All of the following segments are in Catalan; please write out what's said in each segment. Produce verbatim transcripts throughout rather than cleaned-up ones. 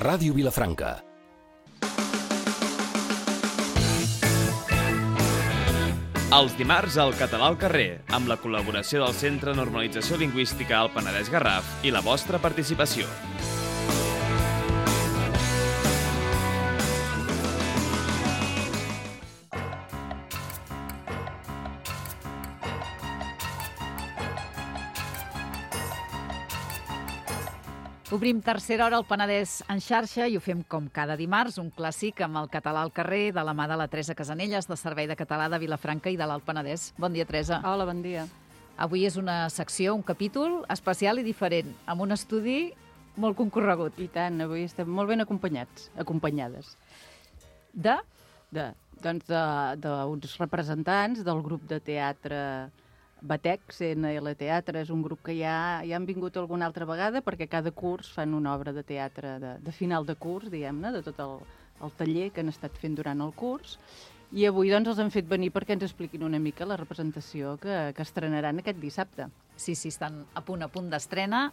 Ràdio Vilafranca. Els dimarts al Català al carrer, amb la col·laboració del Centre de Normalització Lingüística al Penedès Garraf i la vostra participació. Obrim tercera hora al Penedès en xarxa i ho fem com cada dimarts, un clàssic amb el Català al carrer, de la mà de la Teresa Casanelles, del Servei de Català de Vilafranca i de l'Alt Penedès. Bon dia, Teresa. Hola, bon dia. Avui és una secció, un capítol especial i diferent, amb un estudi molt concorregut. I tant, avui estem molt ben acompanyats, acompanyades. De? De, doncs d'uns representants del grup de teatre Batec, C N L Teatre. És un grup que ja, ja han vingut alguna altra vegada perquè cada curs fan una obra de teatre de, de final de curs, diguem-ne, de tot el, el taller que han estat fent durant el curs. I avui doncs els han fet venir perquè ens expliquin una mica la representació que, que estrenaran aquest dissabte. Sí, sí, estan a punt, a punt d'estrena.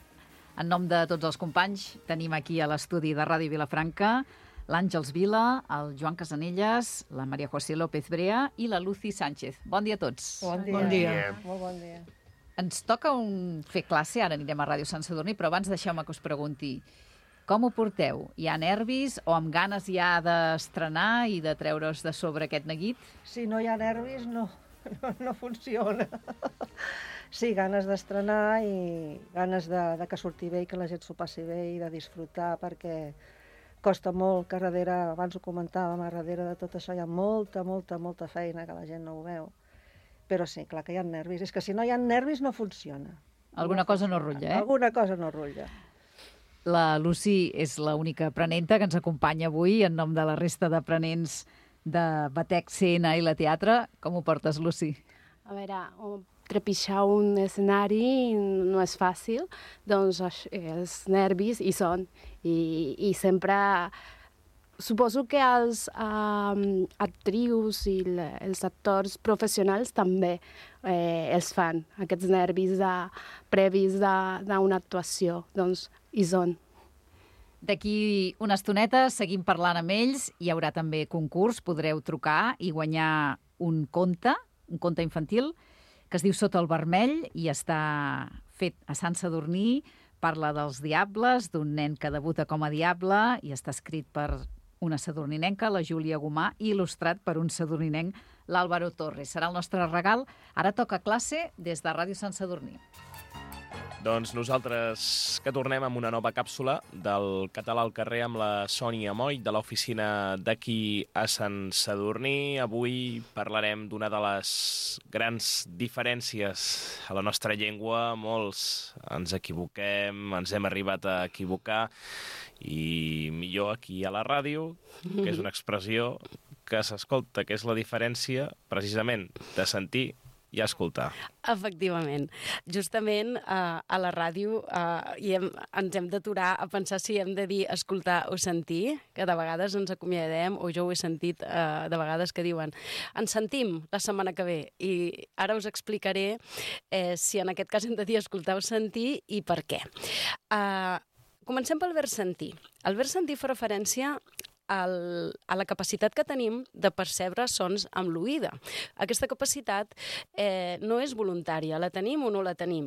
En nom de tots els companys tenim aquí a l'estudi de Ràdio Vilafranca l'Àngels Vila, el Joan Casanelles, la Maria José López Brea i la Lucy Sánchez. Bon dia a tots. Bon dia. Bon dia. Molt bon dia. Ens toca un... fer classe, ara anirem a Ràdio Sant Sadurní, però abans deixeu-me que us pregunti com ho porteu? Hi ha nervis o amb ganes ja d'estrenar i de treure's de sobre aquest neguit? Si no hi ha nervis, no, no, no funciona. Sí, ganes d'estrenar i ganes de, de que surti bé i que la gent s'ho passi bé i de disfrutar, perquè costa molt, que darrere, abans ho comentàvem, a darrere de tot això hi ha molta, molta, molta feina que la gent no ho veu. Però sí, clar que hi ha nervis. És que si no hi ha nervis no funciona. Alguna no cosa funciona. no rutlla, eh? Alguna cosa no rutlla. La Lucy és l'única aprenenta que ens acompanya avui en nom de la resta d'aprenents de Batec, C N L Teatre. Com ho portes, Lucy? A veure, trepitjar un escenari no és fàcil, doncs els nervis hi són. I, i sempre suposo que els um, actrius i le, els actors professionals també eh, els fan, aquests nervis de, previs d'una actuació, doncs hi són. D'aquí una estoneta seguim parlant amb ells, hi haurà també concurs, podreu trucar i guanyar un conte, un conte infantil, que es diu Sota el vermell i està fet a Sant Sadurní. Parla dels diables, d'un nen que debuta com a diable i està escrit per una sadurninenca, la Júlia Gomà, i il·lustrat per un sadurninenc, l'Àlvaro Torres. Serà el nostre regal. Ara toca classe des de Ràdio Sant Sadurní. Doncs nosaltres que tornem amb una nova càpsula del Català al carrer amb la Sònia Moll de l'oficina d'aquí a Sant Sadurní. Avui parlarem d'una de les grans diferències a la nostra llengua. Molts ens equivoquem, ens hem arribat a equivocar i millor aquí a la ràdio, que és una expressió que s'escolta, que és la diferència precisament de sentir i a escoltar. Efectivament. Justament eh, a la ràdio eh, i hem, ens hem d'aturar a pensar si hem de dir escoltar o sentir, que de vegades ens acomiadem, o jo ho he sentit eh, de vegades que diuen ens sentim la setmana que ve, i ara us explicaré eh, si en aquest cas hem de dir escoltar o sentir i per què. Eh, comencem pel verb sentir. El verb sentir fa referència El, a la capacitat que tenim de percebre sons amb l'oïda. Aquesta capacitat eh, no és voluntària, la tenim o no la tenim.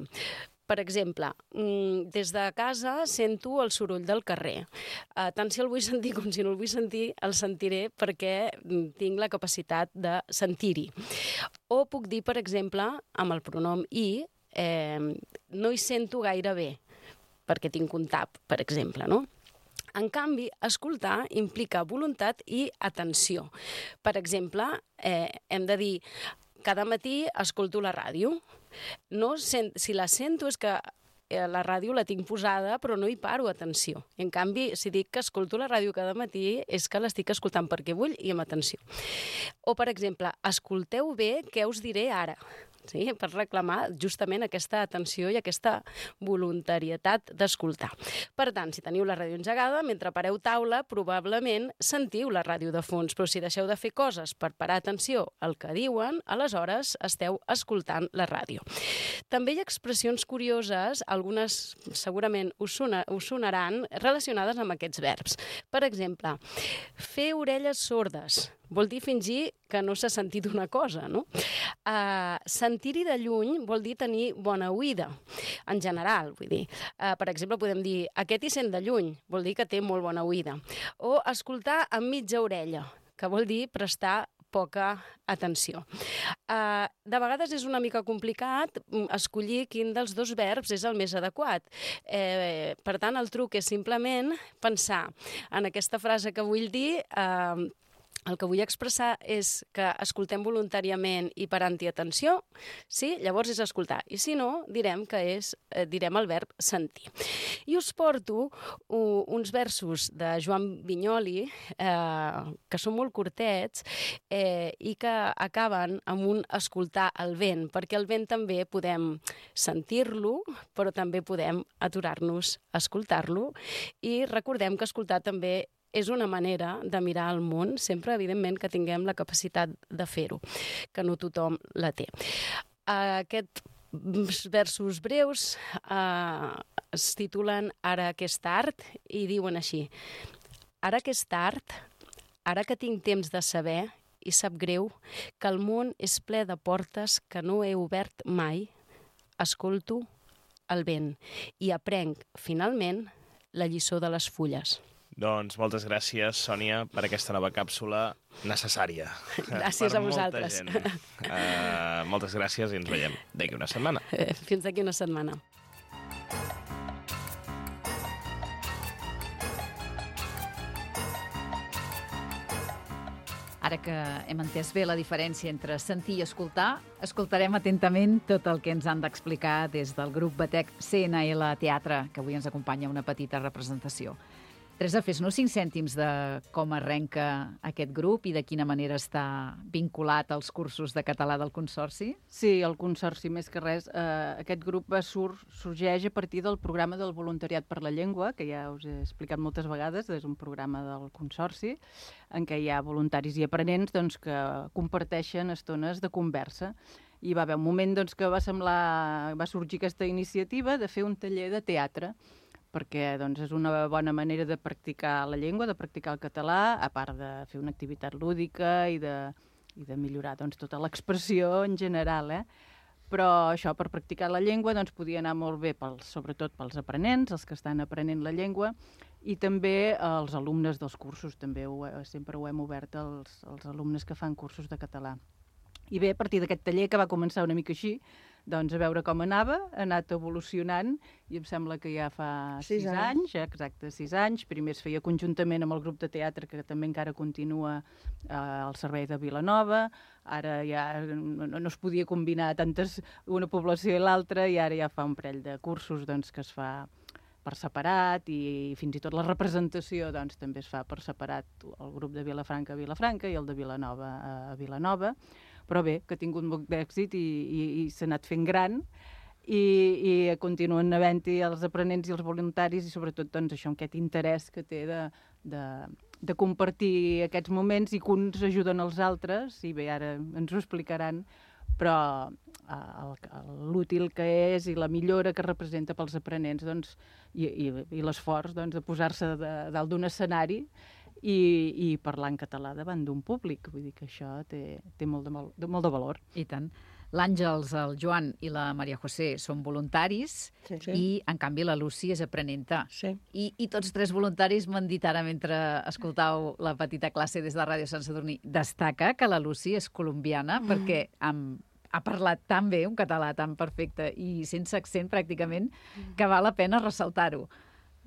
Per exemple, des de casa sento el soroll del carrer. Eh, tant si el vull sentir com si no el vull sentir, el sentiré perquè tinc la capacitat de sentir-hi. O puc dir, per exemple, amb el pronom i, eh, no hi sento gaire bé, perquè tinc un tap, per exemple, no? En canvi, escoltar implica voluntat i atenció. Per exemple, eh, hem de dir, cada matí escolto la ràdio. No, si la sento és que la ràdio la tinc posada, però no hi paro atenció. En canvi, si dic que escolto la ràdio cada matí, és que l'estic escoltant perquè vull i amb atenció. O, per exemple, escolteu bé què us diré ara. sí? Per reclamar justament aquesta atenció i aquesta voluntarietat d'escoltar. Per tant, si teniu la ràdio engegada, mentre pareu taula, probablement sentiu la ràdio de fons, però si deixeu de fer coses per parar atenció al que diuen, aleshores esteu escoltant la ràdio. També hi ha expressions curioses, algunes segurament us, sona, us sonaran, relacionades amb aquests verbs. Per exemple, fer orelles sordes vol dir fingir que no s'ha sentit una cosa, no? Uh, sentir-hi de lluny vol dir tenir bona oïda, en general, vull dir. Uh, per exemple, podem dir, aquest hi sent de lluny, vol dir que té molt bona oïda. O escoltar amb mitja orella, que vol dir prestar poca atenció. Uh, de vegades és una mica complicat escollir quin dels dos verbs és el més adequat. Eh, per tant, el truc és simplement pensar en aquesta frase que vull dir. Uh, el que vull expressar és que escoltem voluntàriament i parant-hi atenció, sí? Llavors és escoltar. I si no, direm que és, eh, direm el verb sentir. I us porto uh, uns versos de Joan Vinyoli, eh, que són molt curtets eh, i que acaben amb un escoltar el vent, perquè el vent també podem sentir-lo, però també podem aturar-nos a escoltar-lo. I recordem que escoltar també és una manera de mirar el món, sempre, evidentment, que tinguem la capacitat de fer-ho, que no tothom la té. Aquests versos breus eh, es titulen Ara que és tard i diuen així: Ara que és tard, ara que tinc temps de saber i sap greu que el món és ple de portes que no he obert mai, escolto el vent i aprenc, finalment, la lliçó de les fulles. Doncs moltes gràcies, Sònia, per aquesta nova càpsula necessària. Gràcies a vosaltres. Uh, moltes gràcies i ens veiem d'aquí una setmana. Fins d'aquí una setmana. Ara que hem entès bé la diferència entre sentir i escoltar, escoltarem atentament tot el que ens han d'explicar des del grup Batec C N L Teatre, que avui ens acompanya una petita representació. Teresa, fes-nos cinc cèntims de com arrenca aquest grup i de quina manera està vinculat als cursos de català del Consorci. Sí, el Consorci, més que res. Eh, aquest grup sur sorgeix a partir del programa del Voluntariat per la Llengua, que ja us he explicat moltes vegades, és un programa del Consorci, en què hi ha voluntaris i aprenents doncs, que comparteixen estones de conversa. I va haver un moment doncs, que va, semblar, va sorgir aquesta iniciativa de fer un taller de teatre, perquè doncs, és una bona manera de practicar la llengua, de practicar el català, a part de fer una activitat lúdica i de, i de millorar doncs, tota l'expressió en general. Eh? Però això, per practicar la llengua, doncs, podia anar molt bé, pels, sobretot pels aprenents, els que estan aprenent la llengua, i també els alumnes dels cursos, també ho, sempre ho hem obert als, als alumnes que fan cursos de català. I bé, a partir d'aquest taller, que va començar una mica així, doncs a veure com anava, ha anat evolucionant i em sembla que ja fa sis, sis anys, anys, exacte, sis anys. Primer es feia conjuntament amb el grup de teatre, que també encara continua eh, al servei de Vilanova. Ara ja no, no es podia combinar tantes, una població i l'altra, i ara ja fa un parell de cursos doncs, que es fa per separat, i fins i tot la representació doncs, també es fa per separat, el grup de Vilafranca a Vilafranca i el de Vilanova a Vilanova. Però bé, que ha tingut molt d'èxit i, i, i s'ha anat fent gran i, i continuen havent-hi els aprenents i els voluntaris i sobretot doncs, això, aquest interès que té de, de, de compartir aquests moments i que uns ajuden els altres, i bé, ara ens ho explicaran, però l'útil que és i la millora que representa pels aprenents doncs, i, i, i l'esforç doncs, de posar-se dalt d'un escenari I, i parlar en català davant d'un públic. Vull dir que això té, té molt, de, de, molt de valor. I tant. L'Àngels, el Joan i la Maria José són voluntaris sí, sí. i, en canvi, la Lucy és aprenenta. Sí. I, I tots tres voluntaris m'han dit ara, mentre escoltàveu la petita classe des de Ràdio Sant Sadurní, destaca que la Lucy és colombiana mm. perquè amb, ha parlat tan bé, un català tan perfecte i sense accent, pràcticament, que val la pena ressaltar-ho.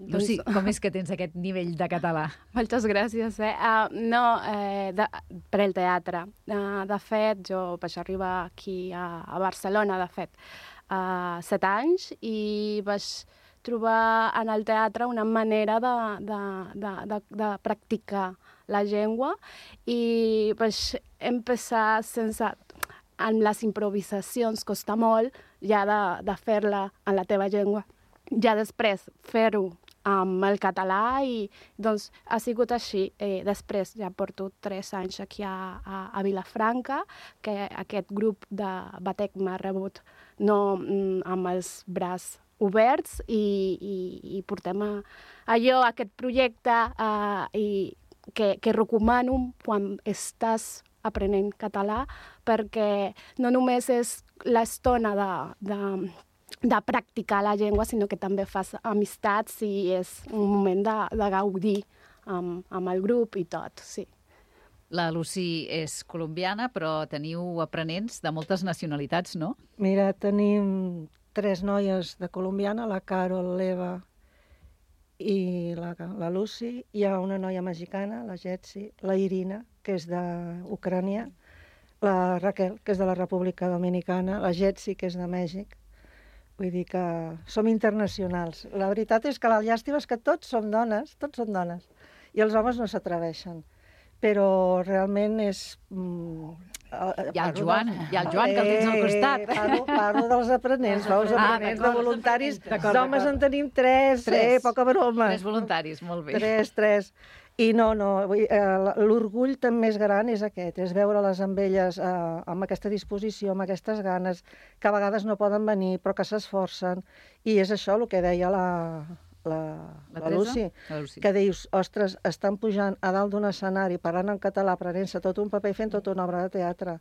Lucy, com és que tens aquest nivell de català? Moltes gràcies. Eh? Uh, no, eh, de, per el teatre. Uh, de fet, jo vaig arribar aquí a, a Barcelona, de fet, a uh, set anys, i vaig trobar en el teatre una manera de, de, de, de, de practicar la llengua, i vaig empezar sense... amb les improvisacions costa molt ja de, de fer-la en la teva llengua. Ja després fer-ho amb el català i doncs ha sigut així. Eh, després ja porto tres anys aquí a, a, a Vilafranca, que aquest grup de Batec m'ha rebut no mm, amb els braços oberts i, i, i portem a, allò, aquest projecte eh, i que, que recomano quan estàs aprenent català, perquè no només és l'estona de, de de practicar la llengua, sinó que també fas amistats i és un moment de, de gaudir amb, amb el grup i tot, sí. La Lucy és colombiana, però teniu aprenents de moltes nacionalitats, no? Mira, tenim tres noies de colombiana, la Carol, l'Eva i la, la Lucy. Hi ha una noia mexicana, la Jetsi, la Irina, que és d'Ucrània, la Raquel, que és de la República Dominicana, la Jetsi, que és de Mèxic. Vull dir que som internacionals. La veritat és que la llàstima és que tots som dones, tots són dones, i els homes no s'atreveixen. Però realment és... Mm, hi ha el Joan, del... hi ha el Joan, que el tens al costat. Eh, parlo, parlo dels aprenents, no? Els aprenents ah, de voluntaris. D'homes en tenim tres, tres, eh, poca broma. Tres voluntaris, molt bé. Tres, tres. I no, no, l'orgull també més gran és aquest, és veure-les amb elles eh, amb aquesta disposició, amb aquestes ganes, que a vegades no poden venir, però que s'esforcen. I és això el que deia la, la, la, la, Lucy, la Lucy, que dius, ostres, estan pujant a dalt d'un escenari, parlant en català, prenent-se tot un paper i fent tota una obra de teatre.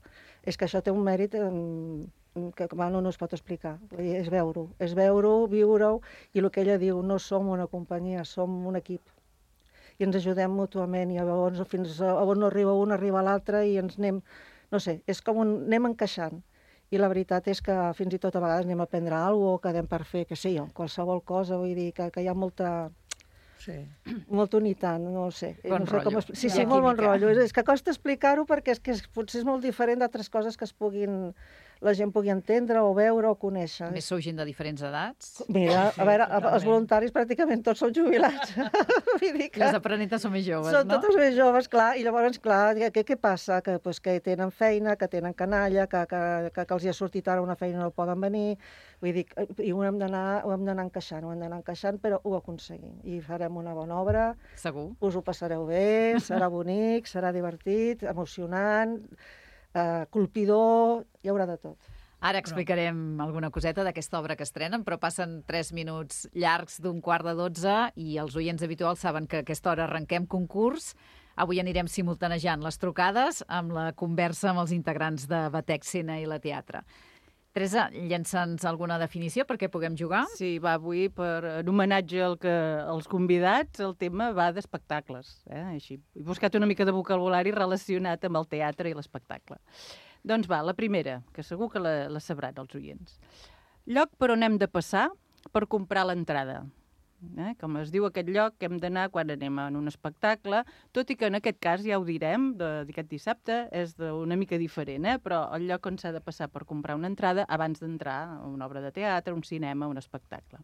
És que això té un mèrit eh, que bueno, no es pot explicar. És veure-ho, és veure-ho, viure-ho, i el que ella diu, no som una companyia, som un equip. I ens ajudem mútuament, i llavors fins a on no arriba un, arriba l'altre, i ens anem, no sé, és com un, anem encaixant. I la veritat és que fins i tot a vegades anem a aprendre alguna cosa, o quedem per fer, que sé jo, qualsevol cosa, vull dir que, que hi ha molta... Sí. Molta unitat, no ho sé. Bon no sé rotllo. Com... Sí, sí, molt bon rotllo. És, és que costa explicar-ho perquè és que és, potser és molt diferent d'altres coses que es puguin... la gent pugui entendre o veure o conèixer. A més, sou gent de diferents edats? Mira, a veure, els voluntaris pràcticament tots són jubilats. Vull dir que... Les aprenentes són més joves, són no? Són totes més joves, clar, i llavors, clar, què, què passa? Que, pues, que tenen feina, que tenen canalla, que, que, que, que els hi ha sortit ara una feina i no poden venir. Vull dir, i ho hem d'anar encaixant, ho hem d'anar encaixant, però ho aconseguim. I farem una bona obra. Segur. Us ho passareu bé, serà bonic, serà divertit, emocionant, Uh, colpidor, hi haurà de tot. Ara explicarem alguna coseta d'aquesta obra que estrenen, però passen tres minuts llargs d'un quart de dotze i els oients habituals saben que a aquesta hora arrenquem concurs. Avui anirem simultanejant les trucades amb la conversa amb els integrants de Batec Escena i la Teatre. Teresa, llença'ns alguna definició perquè puguem jugar? Sí, va, avui, per, en homenatge al que, als convidats, el tema va d'espectacles. Eh? Així, he buscat una mica de vocabulari relacionat amb el teatre i l'espectacle. Doncs va, la primera, que segur que la, la sabran els oients. Lloc per on hem de passar per comprar l'entrada. Eh? Com es diu aquest lloc que hem d'anar quan anem a un espectacle, tot i que en aquest cas, ja ho direm, d'aquest dissabte, és una mica diferent, eh? Però el lloc on s'ha de passar per comprar una entrada abans d'entrar a una obra de teatre, un cinema, un espectacle.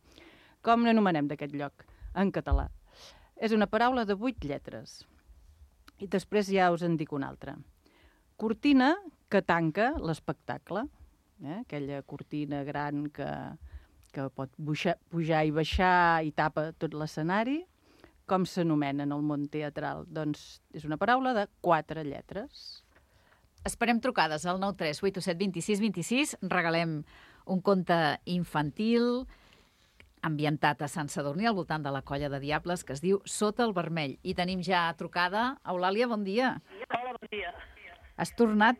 Com n'anomenem d'aquest lloc en català? És una paraula de vuit lletres. I després ja us en dic una altra. Cortina que tanca l'espectacle, eh? Aquella cortina gran que... que pot pujar, pujar i baixar i tapa tot l'escenari. Com s'anomena en el món teatral? Doncs és una paraula de quatre lletres. Esperem trucades al nou tres vuit set dos sis dos sis. Regalem un conte infantil ambientat a Sant Sadurní, al voltant de la Colla de Diables, que es diu Sota el Vermell. I tenim ja trucada. Eulàlia, bon dia. Hola, bon dia. Has tornat?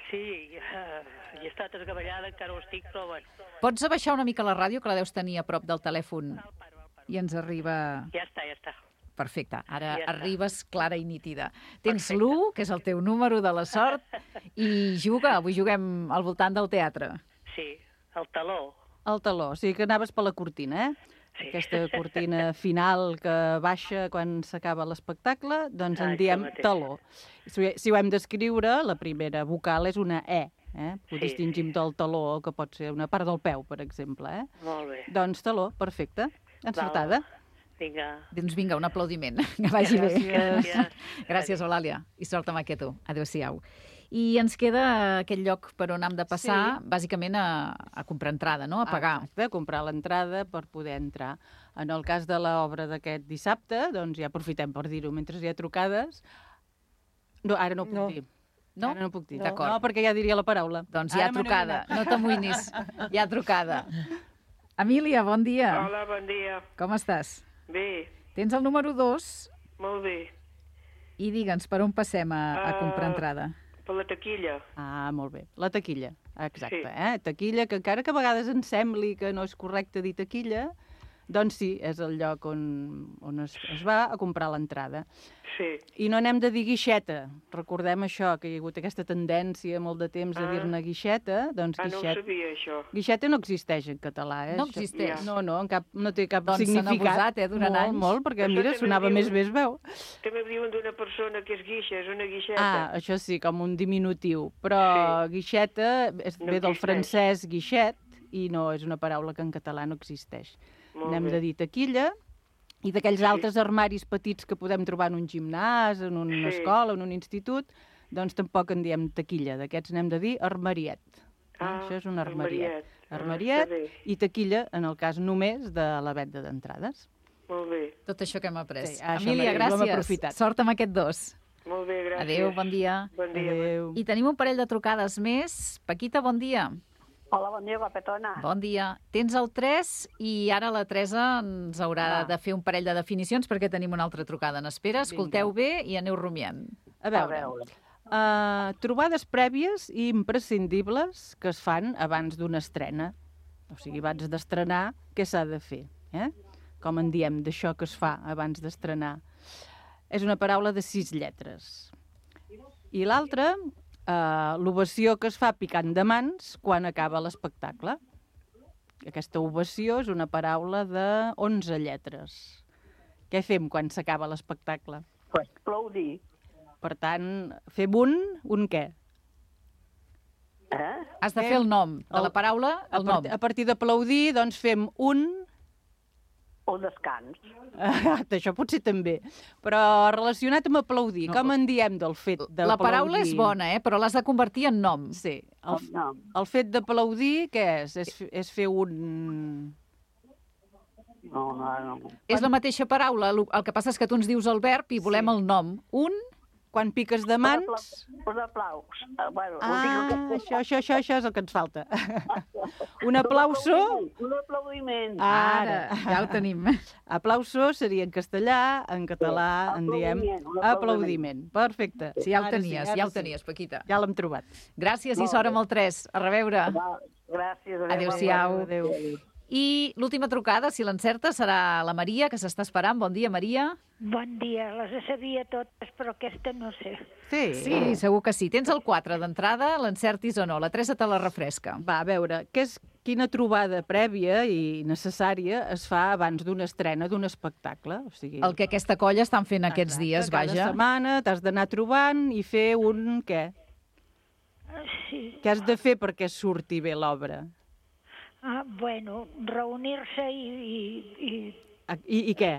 Sí, uh, he estat esgavellada, encara ho estic, però bueno. Pots abaixar una mica la ràdio, que la deus tenir a prop del telèfon? El paro, el paro. I ens arriba... Ja està, ja està. Perfecte, ara ja arribes clara i nítida. Tens l'u, que és el teu número de la sort, i juga, avui juguem al voltant del teatre. Sí, el taló. El taló, o sigui que anaves per la cortina, eh? Sí. Aquesta cortina final que baixa quan s'acaba l'espectacle, doncs en ah, diem taló. Si, si ho hem d'escriure, la primera vocal és una E. Eh? Ho sí, distingim sí. del taló, que pot ser una part del peu, per exemple. Eh? Molt bé. Doncs taló, perfecte. Encertada. Val. Vinga. Doncs vinga, un aplaudiment. Que vagi Gràcies. bé. Gràcies, Gràcies, Eulàlia. I sort amb aquest tu. Adéu-siau. I ens queda aquell lloc per on hem de passar, Sí. bàsicament a, a comprar entrada, no? A pagar. Exacte, comprar l'entrada per poder entrar. En el cas de l'obra d'aquest dissabte, doncs ja aprofitem per dir-ho mentre hi ha trucades. No, ara no ho puc No. dir. No? Ara no ho puc dir. D'acord. No, perquè ja diria la paraula. Doncs hi ha Ara me n'he trucada, adonat. no t'amoïnis, hi ha trucada. Emília, bon dia. Hola, bon dia. Com estàs? Bé, Tens el número dos molt bé. i digue'ns per on passem a, a comprar Ah. entrada. Per la taquilla. Ah, molt bé. La taquilla, exacte. Sí. Eh? Taquilla, que encara que a vegades ens sembli que no és correcte dir taquilla, doncs sí, és el lloc on, on es, es va a comprar l'entrada. Sí. I no n'hem de dir guixeta. Recordem això, que hi ha hagut aquesta tendència molt de temps a Ah. dir-ne guixeta. Doncs Ah, no ho guixet... sabia, això. Guixeta no existeix en català, eh? No Això- existeix? No, no, en cap, no té cap Doncs s'han significat. abusat, eh, durant molt, anys. Molt, perquè, Això mira, també sonava diuen- més bé, es veu. També diuen d'una persona que és guixa, és una Ah, guixeta. això sí, com un diminutiu. Però Sí. guixeta és, No ve del existeix. francès guixet i no és una paraula que en català no existeix. Molt N'hem bé. de dir taquilla i d'aquells Sí. altres armaris petits que podem trobar en un gimnàs, en una Sí. escola, en un institut, doncs tampoc en diem taquilla. D'aquests n'hem de dir armariet. Ah, Això és un armariet. armariet. Ah, Armariet està bé. i taquilla, en el cas només de la venda d'entrades. Molt bé. Tot això que hem après. Sí, això Emília, mateix, ho hem gràcies. aprofitat. Sort amb aquest dos. Molt bé, gràcies. Adéu, bon dia. Bon dia. Adéu. I tenim un parell de trucades més. Paquita, bon dia. Hola, bon dia, guapetona. Bon dia. Tens el tres i ara la Teresa ens haurà Va. de fer un parell de definicions perquè tenim una altra trucada en espera. Escolteu bé i aneu rumiant. A veure, A veure. Uh, trobades prèvies i imprescindibles que es fan abans d'una estrena. O sigui, abans d'estrenar, què s'ha de fer? Eh? Com en diem, d'això que es fa abans d'estrenar. És una paraula de sis lletres. I l'altra, uh, l'ovació que es fa picant de mans quan acaba l'espectacle. Aquesta ovació és una paraula de onze lletres. Què fem quan s'acaba l'espectacle? Pues aplaudir. Per tant, fem un, un què? Eh? Has de Fem fer el nom de el- la paraula, el a, nom. part, a partir d'aplaudir, doncs fem un... Un descans. Ah, això potser també. Però relacionat amb aplaudir, No, com en diem del fet d'aplaudir? La paraula és bona, eh? Però l'has de convertir en nom. Sí. El, No, el fet d'aplaudir, què és? És, f- és fer un... no, no. no. És la mateixa paraula, el el que passa és que tu ens dius el verb i volem Sí. el nom. Un, Quan piques de mans... Un aplaus. Eh, Bueno, ho Ah, dic que- això, això, això, això és el que ens falta. Un aplauso... Un aplaudiment. ara, ja ho tenim. Aplauso seria en castellà, en català en diem Aplaudiment, un aplaudiment. Perfecte. Sí, ja ho Ara sí, tenies, ara ja ho sí. tenies, Paquita. Ja l'hem trobat. Gràcies i Molt sort bé. amb el tres. A reveure. Va, gràcies. Adéu-siau. Adéu. I l'última trucada, si l'encerta, serà la Maria, que s'està esperant. Bon dia, Maria. Bon dia, les sabia totes, però aquesta no sé. Sí. Sí, segur que sí. Tens el quatre d'entrada, l'encertis o no. La Teresa te la refresca. Va, a veure, què és, quina trobada prèvia i necessària es fa abans d'una estrena d'un espectacle? O sigui, El que aquesta colla estan fent aquests exacte, dies, cada vaja. setmana t'has d'anar trobant i fer un què? Ah, sí. Què has de fer perquè surti bé l'obra? Ah, bueno, reunir-se i, i, i Ah, I, I què?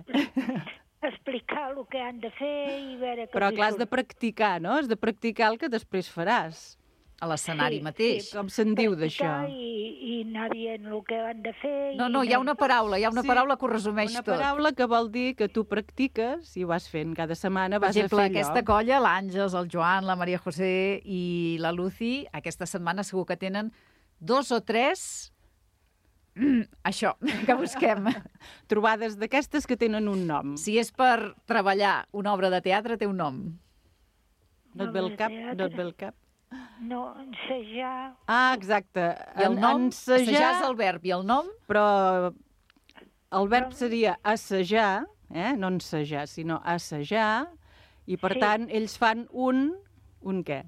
explicar el que han de fer i veure què Però els hi clar, has de surt. practicar, no? Has de practicar el que després faràs. A l'escenari Sí, mateix. Com se'n diu d'això? Practicar I, i anar dient el que han de fer. No, i no, hi ha anar- una paraula, hi ha una Sí, paraula que ho resumeix Una tot. paraula que vol dir que tu practiques i ho vas fent cada setmana, Per vas exemple, a fer aquesta allò. colla, l'Àngels, el Joan, la Maria José i la Lucy, aquesta setmana segur que tenen dos o tres... Mm, això, que busquem. Trobades d'aquestes que tenen un nom. Si és per treballar una obra de teatre, té un nom. No et ve el cap? No et ve el cap? No, ensejar... Ah, exacte. I el En- nom, ensejar, assajar és el verb, i el nom, però el verb seria assajar, eh? no ensejar, sinó assajar, i per Sí. tant ells fan un... Un què?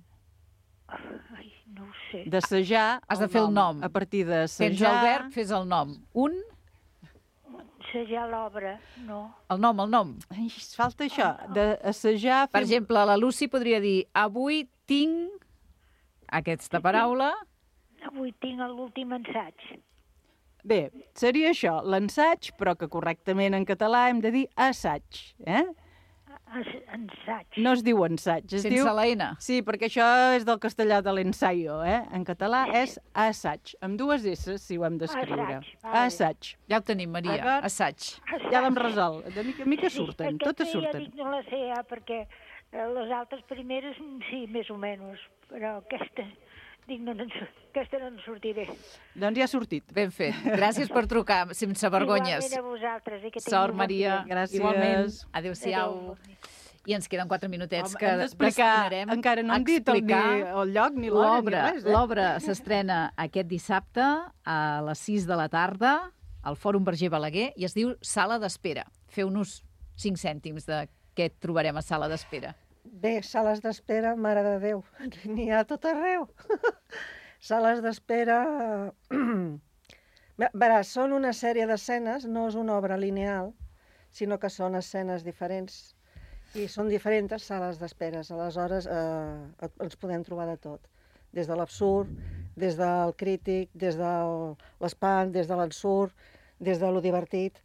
Ai, no ho sé. D'assajar Has de fer el nom. A partir tens d'assajar... el verb, fes el nom. Un, Ensejar l'obra, no. el nom, el nom. Ai, falta això, d'assajar... Per fer- exemple, la Lucy podria dir, avui tinc aquesta paraula, Avui tinc l'últim assaig. Bé, seria això, l'ensaig, però que correctament en català hem de dir assaig, eh? Ensaig. No es diu ensaig. Es Sense diu... la N. Sí, perquè això és del castellà de l'ensaio, eh? En català és assaig, amb dues S, si ho hem d'escriure. Assaig, vale. Assaig. Ja ho tenim, Maria. D'acord. Assaig. Ja l'hem resolt. De mica en mica Sí, surten, aquesta totes ja surten. dic, no la sé, ja, perquè eh, les altres primeres, mm, sí, més o menys, però aquesta, dic, no, no, en sur- aquesta no en sortiré. Doncs ja ha sortit. Ben fet. Gràcies per trucar, sense vergonyes. Igualment a vosaltres. I que tingueu Sort, bon Maria. dia. Gràcies. Igualment. Adéu-siau. Adéu. I ens queden quatre minutets Home, que hem d'explicar, destinarem encara no a hem dit el, explicar ni, el lloc, ni l'hora, ni l'obra. res. Eh? L'obra s'estrena aquest dissabte a les sis de la tarda al Fòrum Verger Balaguer i es diu Sala d'Espera. Feu-nos cinc cèntims de què trobarem a Sala d'Espera. Bé, sales d'espera, mare de Déu, n'hi ha a tot arreu. Sales d'espera... Bé, Veràs, són una sèrie d'escenes, no és una obra lineal, sinó que són escenes diferents i són diferents sales d'esperes. Aleshores, eh, ens podem trobar de tot, des de l'absurd, des del crític, des de l'espant, des de l'ensurt, des de lo divertit,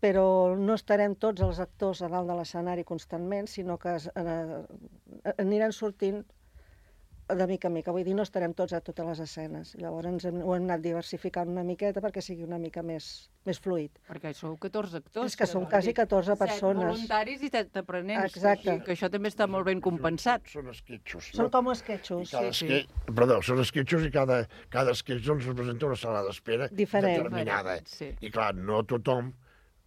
però no estarem tots els actors a dalt de l'escenari constantment, sinó que es, eh, aniran sortint de mica en mica. Vull dir, no estarem tots a totes les escenes. Llavors ens hem, ho hem anat diversificant una miqueta perquè sigui una mica més, més fluid. Perquè sou catorze actors. És que som quasi catorze persones. Set voluntaris i set aprenents. Exacte. Que això també està molt ben compensat. Són esquetxos. Són com esquetxos. I cada Sí, esque... Perdó, són esquetxos i cada, cada esquetx doncs, representa una sala d'espera Diferent. determinada. Sí. I clar, no tothom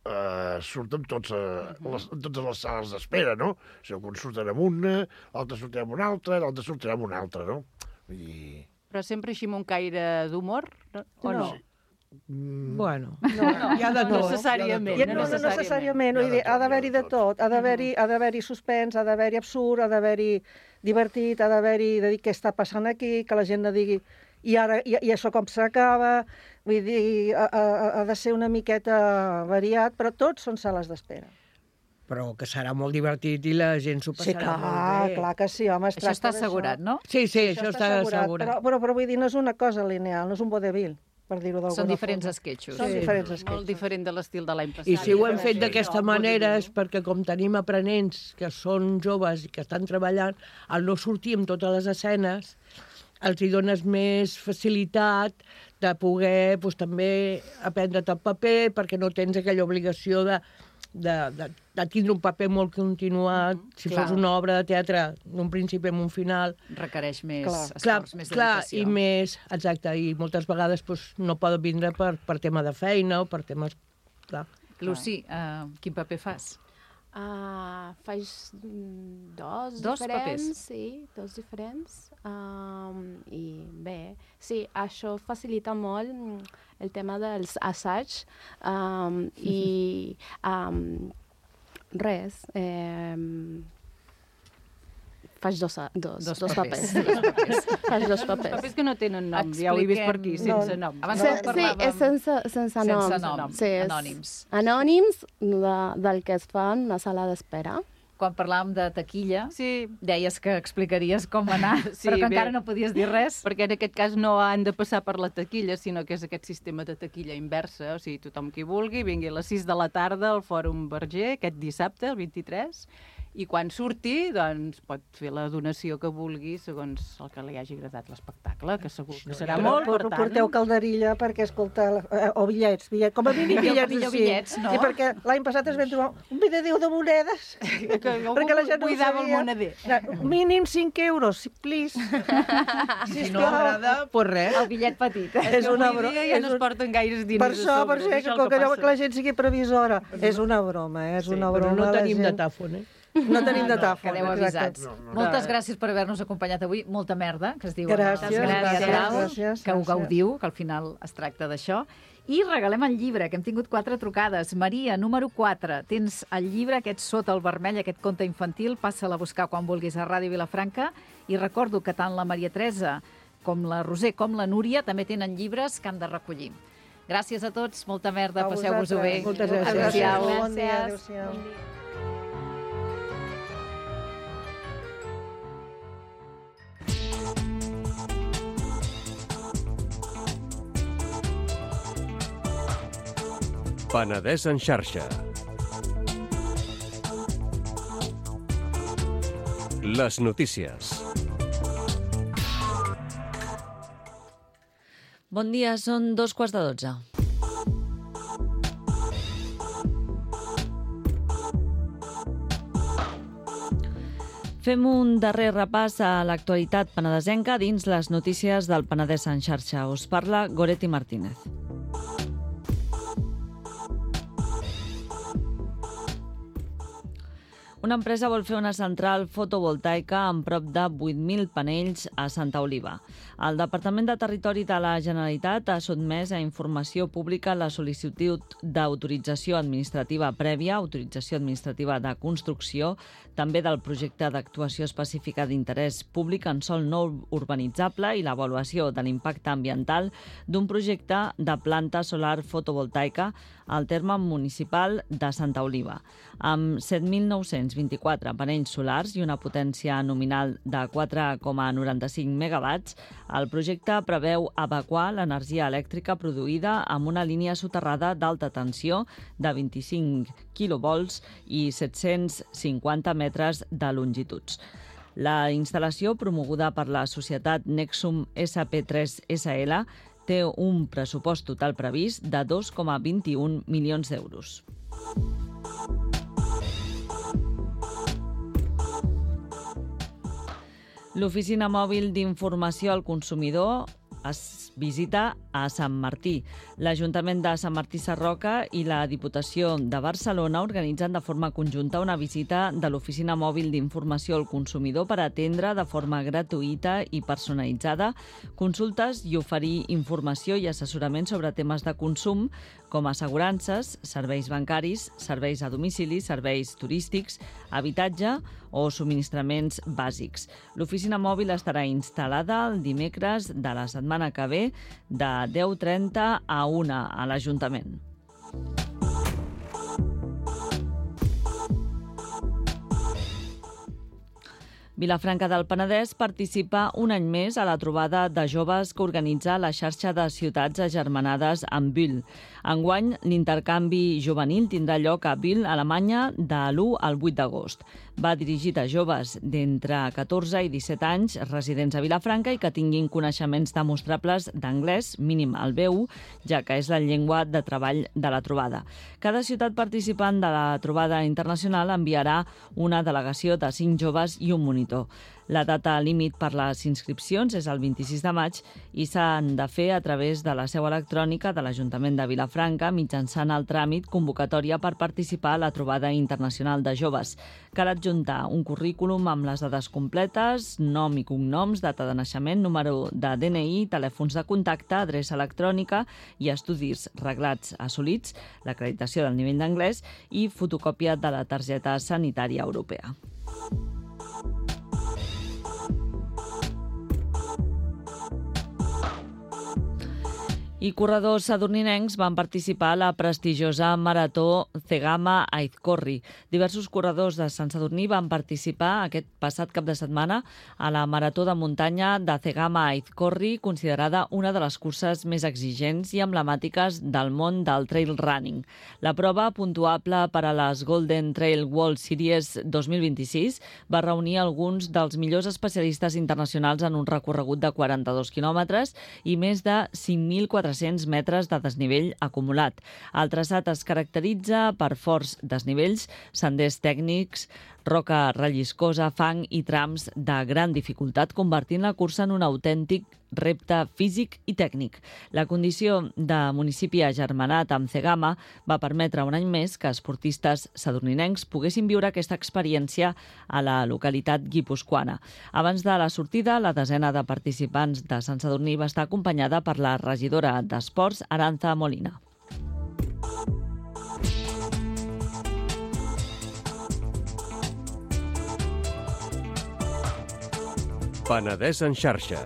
eh, surt en, tots, eh, les, en totes les sales d'espera, no? O sigui, un surten amb una, l'altre surten amb una altra, l'altre surten amb una altra, no? Vull dir... Però sempre així amb un caire d'humor, no? o no? No. Mm, Bueno, No, no, hi ha de no tot. necessàriament. I, no, no necessàriament, vull dir, ha d'haver-hi de tot, ha d'haver-hi ha d'haver-hi suspens, ha d'haver-hi absurd, ha d'haver-hi divertit, ha d'haver-hi de dir què està passant aquí, que la gent no digui i ara i, i això com s'acaba, vull dir, ha, ha, ha de ser una miqueta variat, però tots són sales d'espera. Però que serà molt divertit i la gent s'ho Sí, passarà molt clar, bé. clar que sí, home, es Això tracta està d'això. assegurat, no? Sí, sí, això, està assegurat. Però, però, però vull dir, no és una cosa lineal, no és un vodevil, per dir-ho d'alguna Són diferents forma. esquetxos. Són Sí. diferents Molt esquetxos. diferent de l'estil de l'any passat. I si ho hem fet Sí, d'aquesta no, manera vull és dir, perquè com tenim aprenents que són joves i que estan treballant, al no sortir amb totes les escenes, els hi dones més facilitat de poder doncs, també aprendre't el paper perquè no tens aquella obligació de, de, de, de tindre un paper molt continuat. Si Clar. fos una obra de teatre d'un principi amb un final, Requereix més Clar. esforç, més clar, dedicació. i més, exacte, i moltes vegades doncs, no poden vindre per, per tema de feina o per temes... Clar. Lucy, uh, quin paper fas? Uh, faig mm, dos, Dos diferents, papers? sí, dos diferents. Um, I bé, sí, això facilita molt mm, el tema dels assaigs um, i um, res, eh, faig dos, a- dos, Dos dos, papers. papers. Dos papers. faig dos Els papers. papers que no tenen nom, ja ho he vist per aquí, Expliquem- sense nom. Abans Se, no sí, parlàvem- és sense, sense, Sense nom. nom, Sí, és anònims. Anònims de, del que es fa en una sala d'espera. Quan parlàvem de taquilla, Sí, deies que explicaries com anar, Sí, però que bé. encara no podies dir res. perquè en aquest cas no han de passar per la taquilla, sinó que és aquest sistema de taquilla inversa, o sigui, tothom qui vulgui, vingui a les sis de la tarda al Fòrum Verger, aquest dissabte, el vint-i-tres, i quan surti, doncs, pot fer la donació que vulgui segons el que li hagi agradat l'espectacle, que segur que serà molt, per Però tant... porteu calderilla perquè, escolta, eh, o bitllets, bitllets, com a mínim bitllets millor així. bitllets, no? Sí, perquè l'any passat es vam trobar un videdéu de monedes. Que algú perquè la gent no ho buidava el sabia. moneder. No, mínim cinc euros, si- please. Si no agrada, pues res. El bitllet petit. És una Avui broma. dia ja és no es un- porten gaires diners Per això, per a això, sobre, que, és que, el que, passa. que la gent sigui previsora. És una broma, eh? és una Però broma. no la tenim gent- datàfon, eh? No tenim datàfon. Quedeu exacte. avisats. Moltes gràcies per haver-nos acompanyat avui. Molta merda, que es diu en el Gràcies, gràcies, gràcies, gràcies, que ho gràcies. gaudiu, que al final es tracta d'això. I regalem el llibre, que hem tingut quatre trucades. Maria, número quatre, tens el llibre aquest Sota el vermell, aquest conte infantil, passa-la a buscar quan vulguis a Ràdio Vilafranca. I recordo que tant la Maria Teresa com la Roser com la Núria també tenen llibres que han de recollir. Gràcies a tots, molta merda, A passeu-vos-ho bé. vosaltres. Moltes gràcies. Adéu-siau. Bon dia, Gràcies. adéu-siau. Bon dia. Penedès en xarxa. Les notícies. Bon dia, són dos quarts de dotze. Fem un darrer repàs a l'actualitat penedesenca dins les notícies del Penedès en xarxa. Us parla Goretti Martínez. Una empresa vol fer una central fotovoltaica amb prop de vuit mil panells a Santa Oliva. El Departament de Territori de la Generalitat ha sotmès a informació pública la sol·licitud d'autorització administrativa prèvia, autorització administrativa de construcció, també del projecte d'actuació específica d'interès públic en sòl no urbanitzable i l'avaluació de l'impacte ambiental d'un projecte de planta solar fotovoltaica al terme municipal de Santa Oliva. Amb set mil nou-cents vint-i-quatre panells solars i una potència nominal de quatre coma noranta-cinc megawatts, el projecte preveu evacuar l'energia elèctrica produïda amb una línia soterrada d'alta tensió de vint-i-cinc quilovolts i set-cents cinquanta metres de longituds. La instal·lació, promoguda per la societat Nexum S P tres S L, té un pressupost total previst de dos coma vint-i-un milions d'euros. L'Oficina Mòbil d'Informació al Consumidor es visita a Sant Martí. L'Ajuntament de Sant Martí Sarroca i la Diputació de Barcelona organitzen de forma conjunta una visita de l'Oficina Mòbil d'Informació al Consumidor per atendre de forma gratuïta i personalitzada consultes i oferir informació i assessorament sobre temes de consum com assegurances, serveis bancaris, serveis a domicili, serveis turístics, habitatge o subministraments bàsics. L'oficina mòbil estarà instal·lada el dimecres de la setmana que ve de deu trenta a una a l'Ajuntament. Vilafranca del Penedès participa un any més a la trobada de joves que organitza la xarxa de ciutats agermanades amb Bull. Enguany, l'intercanvi juvenil tindrà lloc a Bull, Alemanya, de l'u al vuit d'agost. Va dirigit a joves d'entre catorze i disset anys residents a Vilafranca i que tinguin coneixements demostrables d'anglès, mínim el B u, ja que és la llengua de treball de la trobada. Cada ciutat participant de la trobada internacional enviarà una delegació de cinc joves i un monitor. La data límit per les inscripcions és el vint-i-sis de maig i s'han de fer a través de la seu electrònica de l'Ajuntament de Vilafranca mitjançant el tràmit convocatòria per participar a la trobada internacional de joves. Cal adjuntar un currículum amb les dades completes, nom i cognoms, data de naixement, número de D N I, telèfons de contacte, adreça electrònica i estudis reglats assolits, l'acreditació del nivell d'anglès i fotocòpia de la targeta sanitària europea. I corredors sadurninencs van participar a la prestigiosa marató Cegama Aizkorri. Diversos corredors de Sant Sadurní van participar aquest passat cap de setmana a la marató de muntanya de Cegama Aizkorri, considerada una de les curses més exigents i emblemàtiques del món del trail running. La prova, puntuable per a les Golden Trail World Series dos mil vint-i-sis, va reunir alguns dels millors especialistes internacionals en un recorregut de quaranta-dos quilòmetres i més de cinc mil quatre-cents metres de desnivell acumulat. El traçat es caracteritza per forts desnivells, senders tècnics, roca relliscosa, fang i trams de gran dificultat, convertint la cursa en un autèntic repte físic i tècnic. La condició de municipi agermanat amb Cegama va permetre un any més que esportistes sadurninencs poguessin viure aquesta experiència a la localitat guipuscoana. Abans de la sortida, la desena de participants de Sant Sadurní va estar acompanyada per la regidora d'Esports, Aranza Molina. Penedès en xarxa.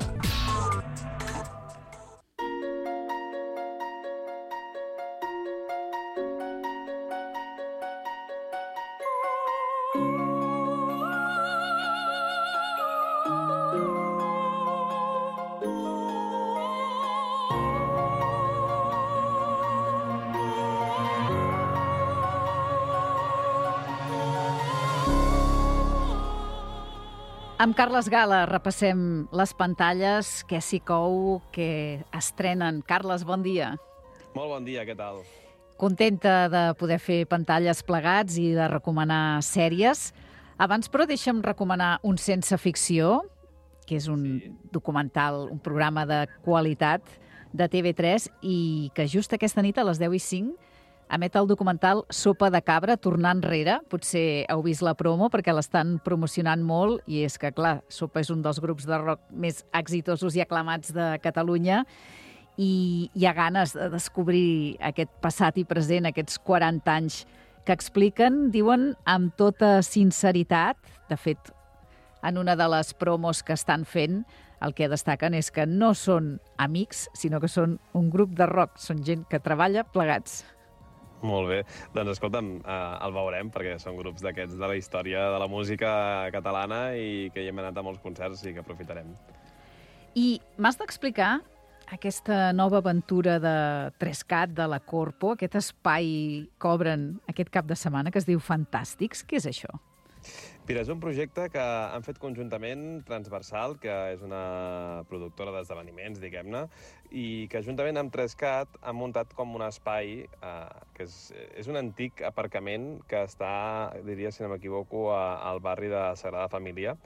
Amb Carles Gala repassem les pantalles que s'hi cou, que estrenen. Carles, bon dia. Molt bon dia, què tal? Contenta de poder fer pantalles plegats i de recomanar sèries. Abans, però, deixa'm recomanar un Sense Ficció, que és un sí. documental, un programa de qualitat de T V tres i que just aquesta nit a les deu i cinc emet el documental Sopa de cabra, tornar enrere. Potser heu vist la promo perquè l'estan promocionant molt i és que, clar, Sopa és un dels grups de rock més exitosos i aclamats de Catalunya i hi ha ganes de descobrir aquest passat i present, aquests quaranta anys que expliquen, diuen, amb tota sinceritat. De fet, en una de les promos que estan fent, el que destaquen és que no són amics, sinó que són un grup de rock, són gent que treballa plegats. Molt bé. Doncs escolta'm, eh, el veurem, perquè són grups d'aquests de la història de la música catalana i que hi hem anat a molts concerts i que aprofitarem. I m'has d'explicar aquesta nova aventura de Trescat, de la Corpo, aquest espai que obren aquest cap de setmana que es diu Fantàstics. Què és això? Mira, és un projecte que han fet conjuntament Transversal, que és una productora d'esdeveniments, diguem-ne, i que juntament amb Trescat han muntat com un espai eh, que és, és un antic aparcament que està, diria, si no m'equivoco, a, al barri de Sagrada Família,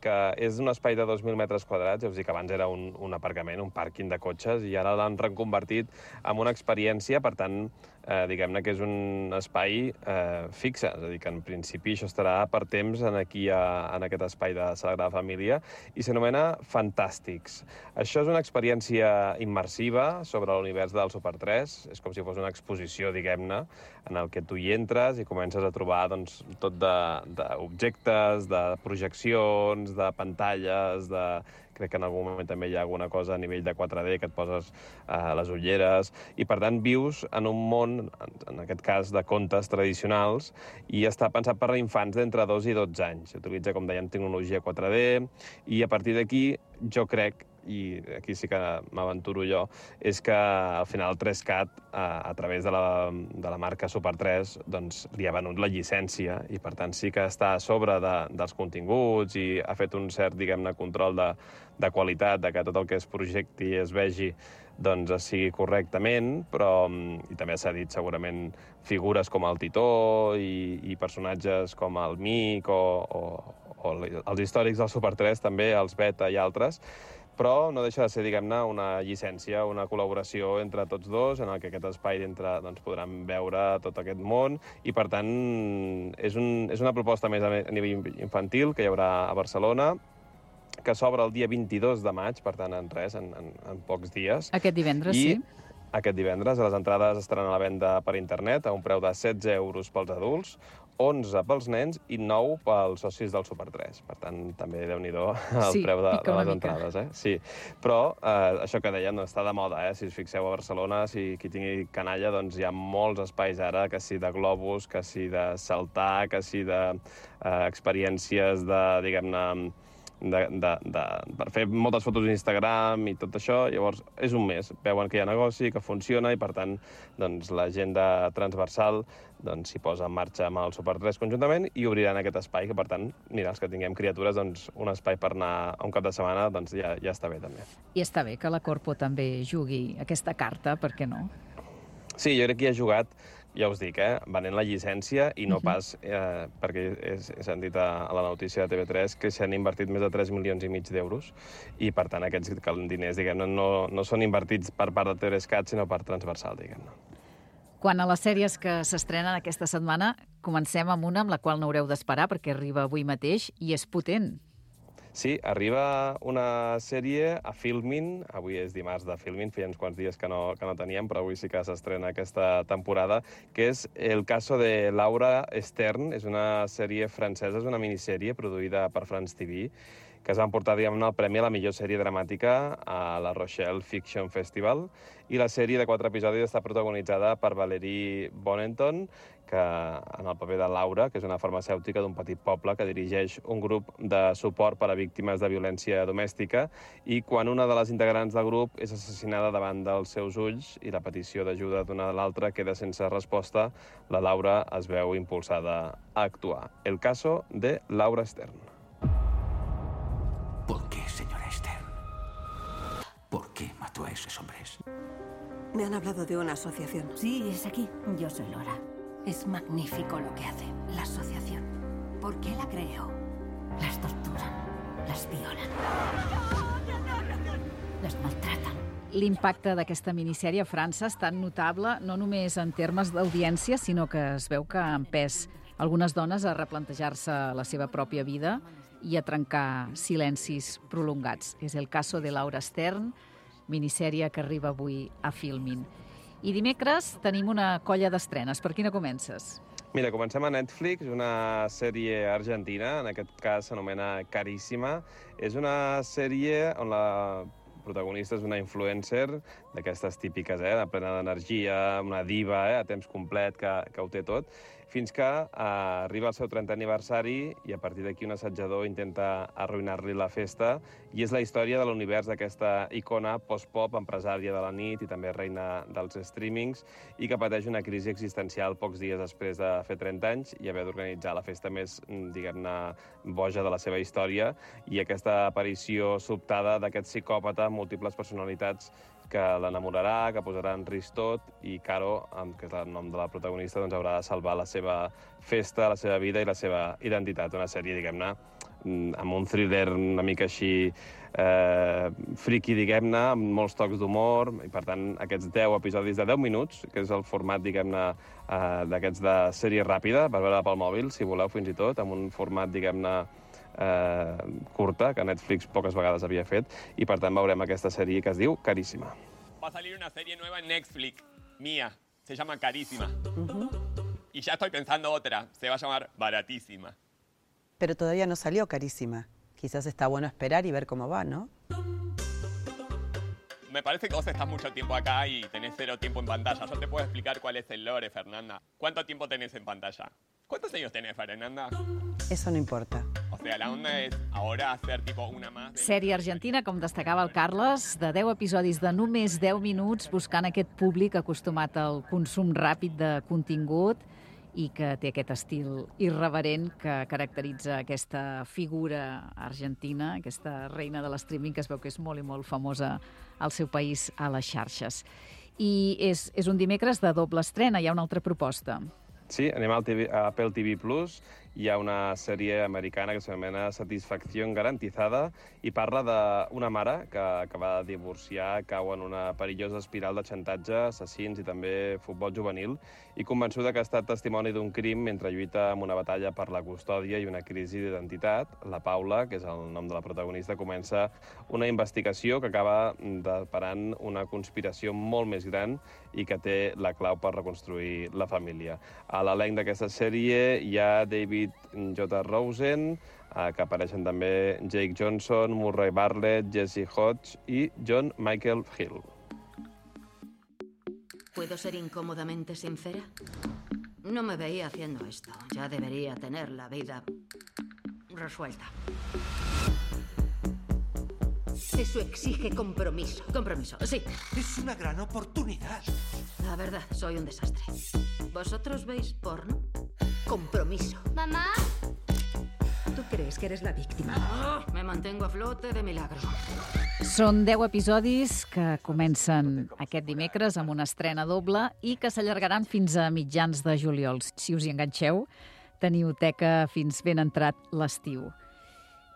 que és un espai de dos mil metres quadrats, ja us dic que abans era un, un aparcament, un pàrquing de cotxes, i ara l'han reconvertit en una experiència, per tant, eh, diguem-ne que és un espai eh, fixe, és a dir, que en principi això estarà per temps en aquí a, en aquest espai de Sagrada Família, i s'anomena Fantàstics. Això és una experiència immersiva sobre l'univers del Super tres, és com si fos una exposició, diguem-ne, en el que tu hi entres i comences a trobar doncs, tot d'objectes, de, de projeccions, de pantalles, de... crec que en algun moment també hi ha alguna cosa a nivell de quatre D que et poses eh, les ulleres, i per tant vius en un món, en aquest cas de contes tradicionals, i està pensat per a infants d'entre dos i dotze anys. Utilitza, com dèiem, tecnologia quatre D, i a partir d'aquí jo crec, i aquí sí que m'aventuro jo, és que al final Trescat, a, a través de la, de la marca Super tres, doncs li ha venut la llicència i per tant sí que està a sobre de, dels continguts i ha fet un cert, diguem-ne, control de, de qualitat, de que tot el que es projecti i es vegi doncs es sigui correctament, però i també s'ha dit segurament figures com el Titó i, i personatges com el Mic o, o, o els històrics del Super tres també, els Beta i altres, però no deixa de ser, diguem-ne, una llicència, una col·laboració entre tots dos, en el que aquest espai dintre doncs, podran veure tot aquest món, i per tant és, un, és una proposta més a nivell infantil que hi haurà a Barcelona, que s'obre el dia vint-i-dos de maig, per tant, en res, en, en, en pocs dies. Aquest divendres, I sí. Aquest divendres les entrades estaran a la venda per internet a un preu de setze euros pels adults, onze pels nens i nou pels socis del Super tres. Per tant, també déu-n'hi-do el sí, preu de, de les mica. entrades. Eh? Sí. Però eh, això que dèiem no està de moda. Eh? Si us fixeu a Barcelona, si qui tingui canalla, doncs hi ha molts espais ara, que sí de globus, que sí de saltar, que sí de eh, experiències de, diguem-ne, De, de, de, per fer moltes fotos d'Instagram i tot això. Llavors, és un mes. Veuen que hi ha negoci, que funciona, i per tant doncs, la gent de Transversal doncs, s'hi posa en marxa amb el Super tres conjuntament i obriran aquest espai, que per tant, mira, els que tinguem criatures, doncs, un espai per anar a un cap de setmana doncs, ja, ja està bé també. I està bé que la Corpo també jugui aquesta carta, per què no? Sí, jo crec que hi ha jugat, ja us dic, eh, venent la llicència i no pas, eh, perquè he, he sentit a, a la notícia de T V tres que s'han invertit més de tres milions i mig d'euros i, per tant, aquests diners, diguem-ne, no, no són invertits per part de Trescat, sinó per Transversal, diguem-ne. Quan a les sèries que s'estrenen aquesta setmana, comencem amb una amb la qual no haureu d'esperar perquè arriba avui mateix i és potent. Sí, arriba una sèrie a Filmin, avui és dimarts de Filmin, feia uns quants dies que no, que no teníem, però avui sí que s'estrena aquesta temporada, que és El caso de Laura Stern, és una sèrie francesa, és una minissèrie produïda per France T V, que es va emportar, diguem-ne, el premi a la millor sèrie dramàtica a la Rochelle Fiction Festival, i la sèrie de quatre episodis està protagonitzada per Valerie Bonneton, que en el paper de Laura, que és una farmacèutica d'un petit poble que dirigeix un grup de suport per a víctimes de violència domèstica, i quan una de les integrants del grup és assassinada davant dels seus ulls i la petició d'ajuda d'una de l'altra queda sense resposta, la Laura es veu impulsada a actuar. El caso de Laura Stern. tú a esos hombres? Me han hablado de una asociación. Sí, es aquí. Yo soy Laura. Es magnífico lo que hace, la asociación. ¿Por qué la creo? Las torturan, las violan, les maltraten. L'impacte d'aquesta minissèrie a França és tan notable no només en termes d'audiència, sinó que es veu que ha empès algunes dones a replantejar-se la seva pròpia vida i a trencar silencis prolongats. És el caso de Laura Stern, minissèrie que arriba avui a Filmin. I dimecres tenim una colla d'estrenes. Per quina comences? Mira, comencem a Netflix, una sèrie argentina, en aquest cas s'anomena Caríssima. És una sèrie on la protagonista és una influencer d'aquestes típiques, eh, de plena d'energia, una diva, eh, a temps complet, que, que ho té tot, fins que eh, arriba el seu trentè aniversari i a partir d'aquí un assetjador intenta arruïnar-li la festa, i és la història de l'univers d'aquesta icona post-pop, empresària de la nit i també reina dels streamings, i que pateix una crisi existencial pocs dies després de fer trenta anys i haver d'organitzar la festa més, diguem-ne, boja de la seva història, i aquesta aparició sobtada d'aquest psicòpata amb múltiples personalitats que l'enamorarà, que posarà en risc tot, i Caro, que és el nom de la protagonista, doncs haurà de salvar la seva festa, la seva vida i la seva identitat. Una sèrie, diguem-ne, amb un thriller una mica així eh, friki, diguem-ne, amb molts tocs d'humor, i per tant aquests deu episodis de deu minuts, que és el format, diguem-ne, eh, d'aquests de sèrie ràpida, per veure pel mòbil, si voleu, fins i tot, amb un format, diguem-ne, Eh, curta, que Netflix poques vegades havia fet, i per tant veurem aquesta sèrie que es diu Caríssima. Va a salir una serie nueva en Netflix, mía, se llama Carísima. Uh-huh. Y ya estoy pensando otra, se va a llamar Baratísima. Pero todavía no salió Carísima. Quizás está bueno esperar y ver cómo va, ¿no? Me parece que vos estás mucho tiempo acá y tenés cero tiempo en pantalla. Yo te puedo explicar cuál es el lore, Fernanda. ¿Cuánto tiempo tenés en pantalla? ¿Cuántos años tenés, Fernanda? Eso no importa. O sea, la onda es ahora hacer tipo una más... De... Sèrie argentina, com destacava el Carles, de deu episodis de només deu minuts, buscant aquest públic acostumat al consum ràpid de contingut i que té aquest estil irreverent que caracteritza aquesta figura argentina, aquesta reina de l'streaming, que es veu que és molt i molt famosa al seu país a les xarxes. I és, és un dimecres de doble estrena, hi ha una altra proposta. Sí, anem al T V, a Apple T V Plus. Hi ha una sèrie americana que s'anomena Satisfacció Garantizada i parla d'una mare que acaba de divorciar, cau en una perillosa espiral de xantatge, assassins i també futbol juvenil, i convençuda que ha estat testimoni d'un crim mentre lluita en una batalla per la custòdia i una crisi d'identitat. La Paula, que és el nom de la protagonista, comença una investigació que acaba deparant una conspiració molt més gran i que té la clau per reconstruir la família. A l'elenc d'aquesta sèrie hi ha David J. Rosen, que apareixen també Jake Johnson, Murray Bartlett, Jesse Hodge i John Michael Hill. ¿Puedo ser incómodamente sincera? No me veía haciendo esto. Ya debería tener la vida resuelta. Eso exige compromiso. Compromiso, sí. Es una gran oportunidad. La verdad, soy un desastre. ¿Vosotros veis porno? Compromiso. ¿Mamá? ¿Tú crees que eres la víctima? Oh, me mantengo a flote de milagro. Són deu episodis que comencen aquest dimecres amb una estrena doble i que s'allargaran fins a mitjans de juliol. Si us hi enganxeu, teniu teca fins ben entrat l'estiu.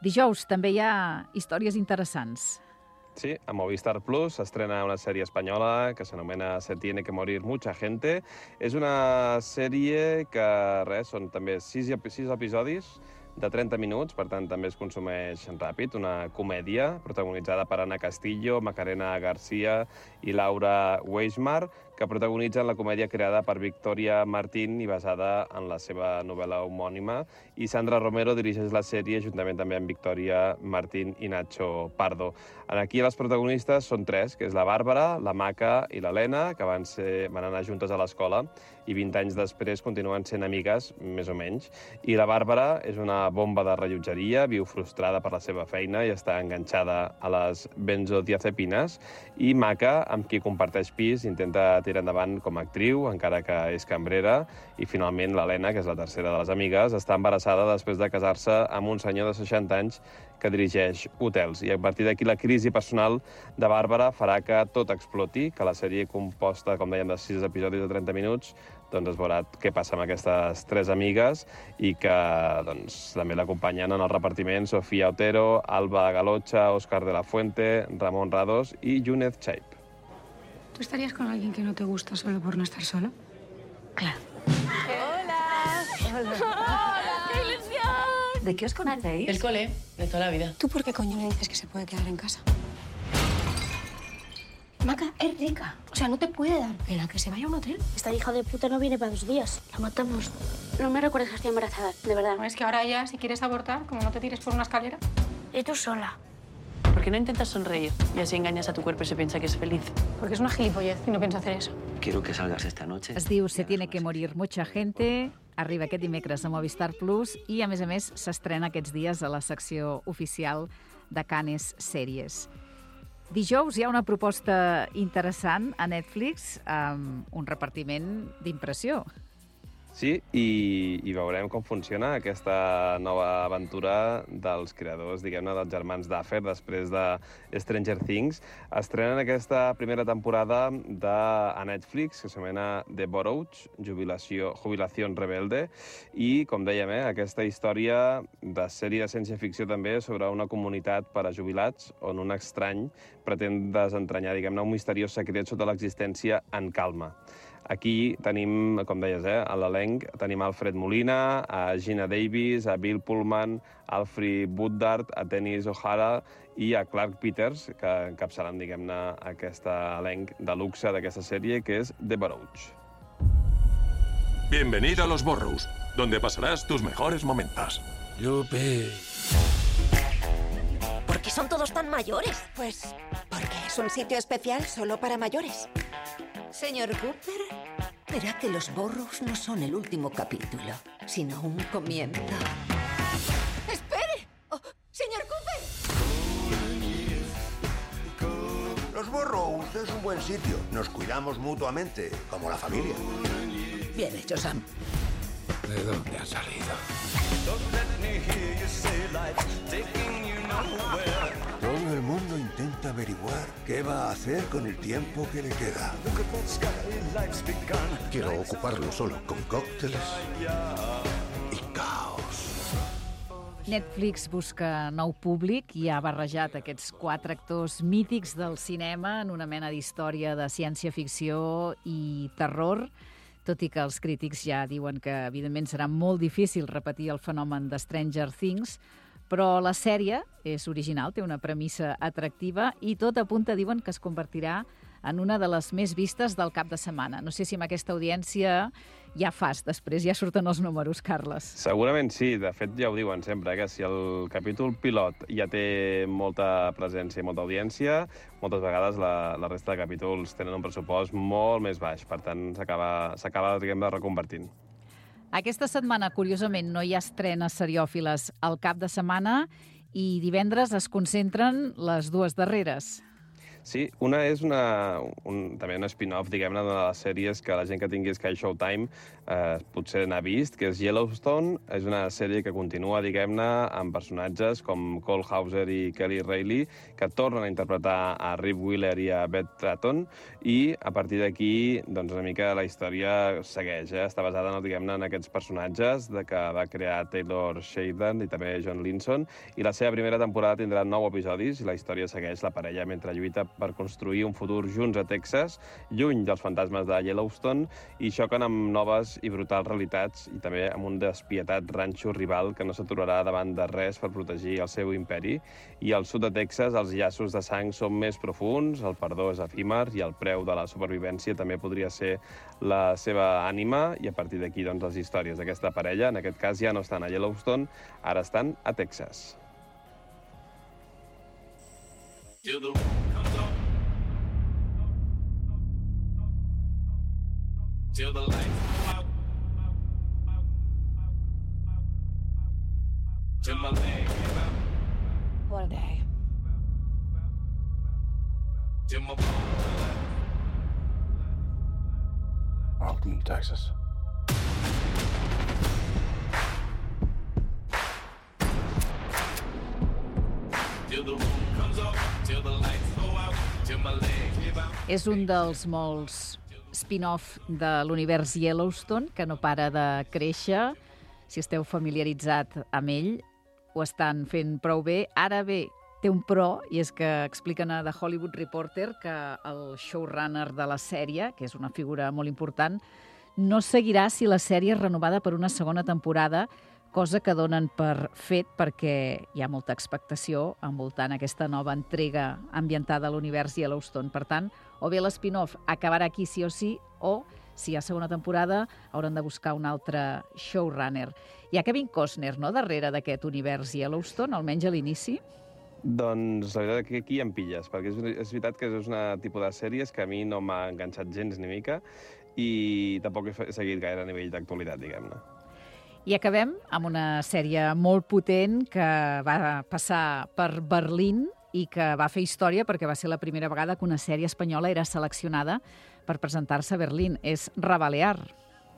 Dijous també hi ha històries interessants. Sí, a Movistar Plus s'estrena una sèrie espanyola que s'anomena Se tiene que morir mucha gente. És una sèrie que, res, són també sis, sis episodis de trenta minuts, per tant també es consumeix ràpid, una comèdia protagonitzada per Ana Castillo, Macarena García i Laura Weismar, que protagonitzen la comèdia creada per Victoria Martín i basada en la seva novel·la homònima, i Sandra Romero dirigeix la sèrie juntament també amb Victoria Martín i Nacho Pardo. Aquí les protagonistes són tres, que és la Bàrbara, la Maca i l'Helena, que van, ser, van anar juntes a l'escola i vint anys després continuen sent amigues, més o menys. I la Bàrbara és una bomba de rellotgeria, viu frustrada per la seva feina i està enganxada a les benzodiazepines, i Maca, amb qui comparteix pis, intenta tira endavant com a actriu, encara que és cambrera, i finalment l'Helena, que és la tercera de les amigues, està embarassada després de casar-se amb un senyor de seixanta anys que dirigeix hotels. I a partir d'aquí la crisi personal de Bàrbara farà que tot exploti, que la sèrie composta, com dèiem, de sis episodis de trenta minuts, doncs es veurà què passa amb aquestes tres amigues i que doncs, també l'acompanyen en el repartiment Sofía Otero, Alba Galocha, Óscar de la Fuente, Ramón Rados i Yunez Chaip. ¿Tú estarías con alguien que no te gusta solo por no estar solo? Claro. Hola. Hola. Hola. ¡Qué ilusión! ¿De qué os conocéis? El cole, de toda la vida. ¿Tú por qué coño le dices que se puede quedar en casa? Maca, es rica. O sea, no te puede dar pena que se vaya a un hotel. Esta hija de puta no viene para dos días. La matamos. No me recuerdes que estoy embarazada, de verdad. No, es que ahora ya, si quieres abortar, como no te tires por una escalera. Y tú sola. ¿Por qué no intentas sonreír y así engañas a tu cuerpo y se piensa que es feliz? Porque es una gilipollez y no piensa hacer eso. Quiero que salgas esta noche. Es diu Se tiene que morir mucha gente, arriba aquest dimecres a Movistar Plus i, a més a més, s'estrena aquests dies a la secció oficial de Canes Sèries. Dijous hi ha una proposta interessant a Netflix amb un repartiment d'impressió. Sí, i, i veurem com funciona aquesta nova aventura dels creadors, diguem-ne, dels germans Duffer, després de Stranger Things. Estrenen aquesta primera temporada de, a Netflix, que s'anomena The Borouge, Jubilació, Jubilació Rebelde, i, com dèiem, eh, aquesta història de sèrie de ciència-ficció també sobre una comunitat per a jubilats on un estrany pretén desentranyar, diguem-ne, un misteriós secret sota l'existència en calma. Aquí tenim, com deies, eh, a l'elenc, tenim Alfred Molina, a Gina Davis, a Bill Pullman, a Alfred Woodard, a Dennis O'Hara i a Clark Peters, que encapçaran, diguem-ne, aquest elenc de luxe d'aquesta sèrie, que és The Borouge. Bienvenido a Los Burrows, donde pasarás tus mejores momentos. Yupi. ¿Por qué son todos tan mayores? Pues porque es un sitio especial solo para mayores. Señor Cooper, verá que Los Burrows no son el último capítulo, sino un comienzo. ¡Espere! Oh, ¡señor Cooper! Los Burrows es un buen sitio. Nos cuidamos mutuamente, como la familia. Bien hecho, Sam. ¿De dónde ha salido? Todo el mundo intenta averiguar qué va a hacer con el tiempo que le queda. Quiero ocuparlo solo con cócteles y caos. Netflix busca nou públic i ha barrejat aquests quatre actors mítics del cinema en una mena d'història de ciència-ficció i terror, tot i que els crítics ja diuen que, evidentment, serà molt difícil repetir el fenomen de Stranger Things, però la sèrie és original, té una premissa atractiva i tot apunta, diuen, que es convertirà en una de les més vistes del cap de setmana. No sé si amb aquesta audiència ja fas, després ja surten els números, Carles. Segurament sí, de fet ja ho diuen sempre, que si el capítol pilot ja té molta presència i molta audiència, moltes vegades la, la resta de capítols tenen un pressupost molt més baix, per tant s'acaba, diguem, de reconvertint. Aquesta setmana, curiosament, no hi ha estrenes seriòfiles al cap de setmana i divendres es concentren les dues darreres. Sí, una és una, un, també un spin-off, diguem-ne, de les sèries que la gent que tingui Sky Showtime eh, potser n'ha vist, que és Yellowstone. És una sèrie que continua, diguem-ne, amb personatges com Cole Hauser i Kelly Reilly, que tornen a interpretar a Rip Wheeler i a Beth Stratton, i a partir d'aquí, doncs, una mica la història segueix, eh? Està basada, no, diguem-ne, en aquests personatges de que va crear Taylor Sheridan i també John Linson, i la seva primera temporada tindrà nou episodis i la història segueix la parella mentre lluita per construir un futur junts a Texas, lluny dels fantasmes de Yellowstone, i xoquen amb noves i brutals realitats i també amb un despietat ranxo rival que no s'aturarà davant de res per protegir el seu imperi. I al sud de Texas els llaços de sang són més profunds, el perdó és efímer i el preu de la supervivència també podria ser la seva ànima, i a partir d'aquí, doncs, les històries d'aquesta parella, en aquest cas ja no estan a Yellowstone, ara estan a Texas. Till the moon comes up, till the lights come out, till my leg give out. What a day. Till my bones Welcome to Texas. És un dels molts spin-off de l'univers Yellowstone, que no para de créixer. Si esteu familiaritzat amb ell, ho estan fent prou bé. Ara bé, té un pro, i és que expliquen a The Hollywood Reporter que el showrunner de la sèrie, que és una figura molt important, no seguirà si la sèrie és renovada per una segona temporada, cosa que donen per fet perquè hi ha molta expectació envoltant aquesta nova entrega ambientada a l'univers Yellowstone. Per tant, o bé l'spin-off acabarà aquí sí o sí, o, si hi ha segona temporada, hauran de buscar un altre showrunner. Hi ha Kevin Costner, no?, darrere d'aquest univers Yellowstone, almenys a l'inici? Doncs la veritat que aquí em pilles, perquè és, és veritat que és una tipus de sèries que a mi no m'ha enganxat gens ni mica i tampoc he seguit gaire a nivell d'actualitat, diguem-ne. I acabem amb una sèrie molt potent que va passar per Berlín i que va fer història perquè va ser la primera vegada que una sèrie espanyola era seleccionada per presentar-se a Berlín. És Rebalear.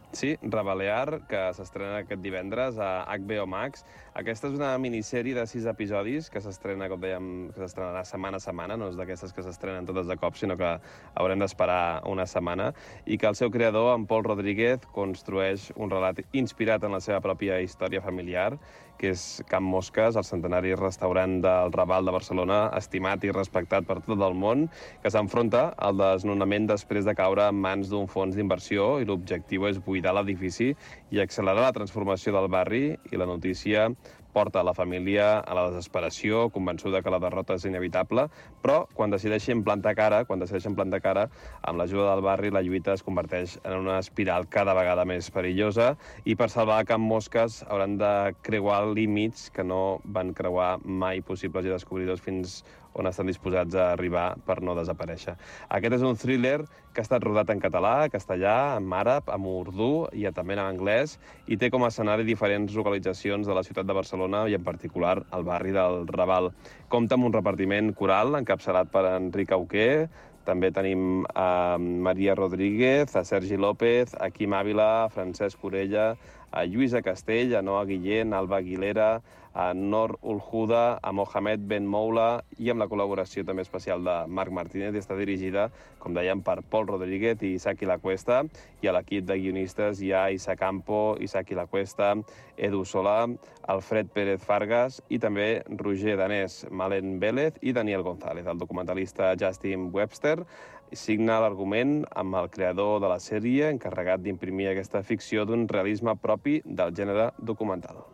Sí, Rebalear, que s'estrena aquest divendres a H B O Max. Aquesta és una minissèrie de sis episodis que s'estrena, com dèiem, que s'estrenarà setmana a setmana, no és d'aquestes que s'estrenen totes de cop, sinó que haurem d'esperar una setmana, i que el seu creador, en Pol Rodríguez, construeix un relat inspirat en la seva pròpia història familiar, que és Can Mosques, el centenari restaurant del Raval de Barcelona, estimat i respectat per tot el món, que s'enfronta al desnonament després de caure en mans d'un fons d'inversió, i l'objectiu és buidar l'edifici i accelerar la transformació del barri, i la notícia porta la família a la desesperació, convençuda que la derrota és inevitable, però quan decideixen plantar cara, quan decideixen plantar cara, amb l'ajuda del barri, la lluita es converteix en una espiral cada vegada més perillosa, i per salvar Can Mosques hauran de creuar límits que no van creuar mai possibles i descobridors fins on estan disposats a arribar per no desaparèixer. Aquest és un thriller que ha estat rodat en català, castellà, en àrab, en urdú i també en anglès, i té com a escenari diferents localitzacions de la ciutat de Barcelona i en particular el barri del Raval. Compta amb un repartiment coral encapçalat per Enric Auqué. També tenim a Maria Rodríguez, a Sergi López, a Quim Ávila, a Francesc Orella, a Lluïsa Castell, a Noa Guillén, a Alba Aguilera, a Nor Ulhuda, a Mohamed Ben Moula, i amb la col·laboració també especial de Marc Martínez, i està dirigida, com dèiem, per Pol Rodríguez i Isaki Lacuesta, i a l'equip de guionistes hi ha Isa Campo, Isaki Lacuesta, Edu Solà, Alfred Pérez Fargas i també Roger Danés, Malen Vélez i Daniel González. El documentalista Justin Webster signa l'argument amb el creador de la sèrie, encarregat d'imprimir aquesta ficció d'un realisme propi del gènere documental.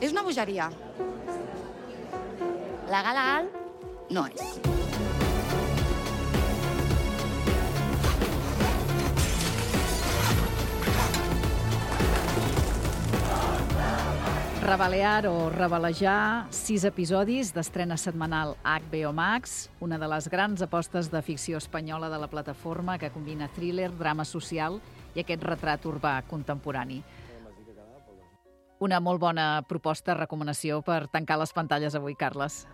És una bogeria. Legal, legal, no és. Rebalear o Rebelejar, sis episodis d'estrena setmanal a H B O Max, una de les grans apostes de ficció espanyola de la plataforma que combina thriller, drama social i aquest retrat urbà contemporani. Una molt bona proposta, recomanació per tancar les pantalles avui, Carles.